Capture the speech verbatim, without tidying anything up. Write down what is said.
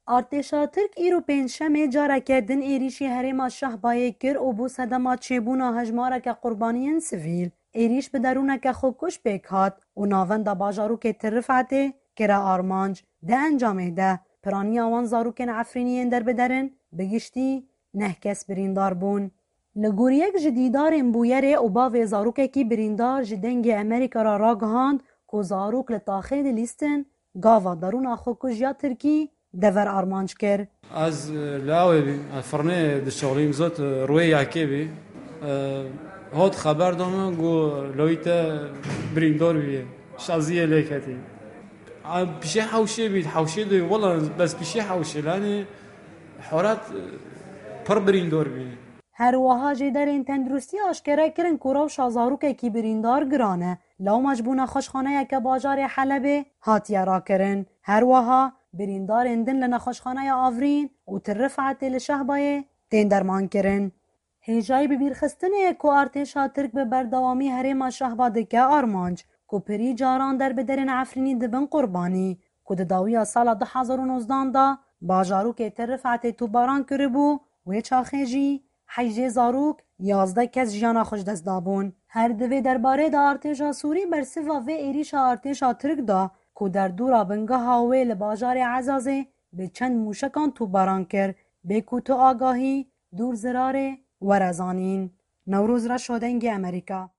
Artêşa Tirk îro pêncşemê careke din êrîşî herêma Şehbayê kir û bû sedema çêbûna hejmareke qurbaniyên sivîl. Êrîş bi derûneke xwekuş pêk hat û navenda bajarokê Tirifetê kire armanc. Di encamê de piraniya wan zarokên Efrînî yên derbeder in, bi giştî neh kes birîndar bûn. Li gor yek ji dîdarên bûyerê û bavê zarokekî birîndar ji Dengê Amerîka re ragihand ku zarok li taxê dilîstin, gava derûna xwekuj ya Tirkî dever armanc kir. Ez, e, li awê bî, ez firnê dişoxlîm, zot, e, rûyê yekê bî. E, hot xeber da min, got, "Lawî te birîndar bîye." Şaziyê lê ketî. A, pişê hewşê bî, hewşê de, wela bes pişê hewşê, lanê horat, e, pir birîndar bî. Her wiha jêderên tenduristî aşkere kirin ku rewşa zarokekî birîndar giran e, lewma ji bo nexweşxaneyeke bajarê Helebê hatiye rakirin. Her wiha birîndarên din li Nexweşxaneya Avrîn û Tirifetê li Şehbayê tên dermankirin. Hêjayî bibîrxistinê ye ku artêşa Tirk bi berdewamî herêma Şehba dike armanc, ku pirî caran derbiderên Efrînî dibin qurbanî, ku di dawiya sala du hezar û nozdan de bajarokê Tirifetê topbaran kiribû, wê çaxê jî heyjê zarok, yazdeh kes jiyana xwe ji dest dabûn. Her di vê derbarê de artêşa Sûrî bersiva vê êrîşa artêşa Tirk da ku derdora bingeha wê li bajarê Ezazê bi çend mûşekan topbaran kir, bê ku tu agahî, dûr zirarê, were zanîn. Newroz Reşo, Dengê Amerîka.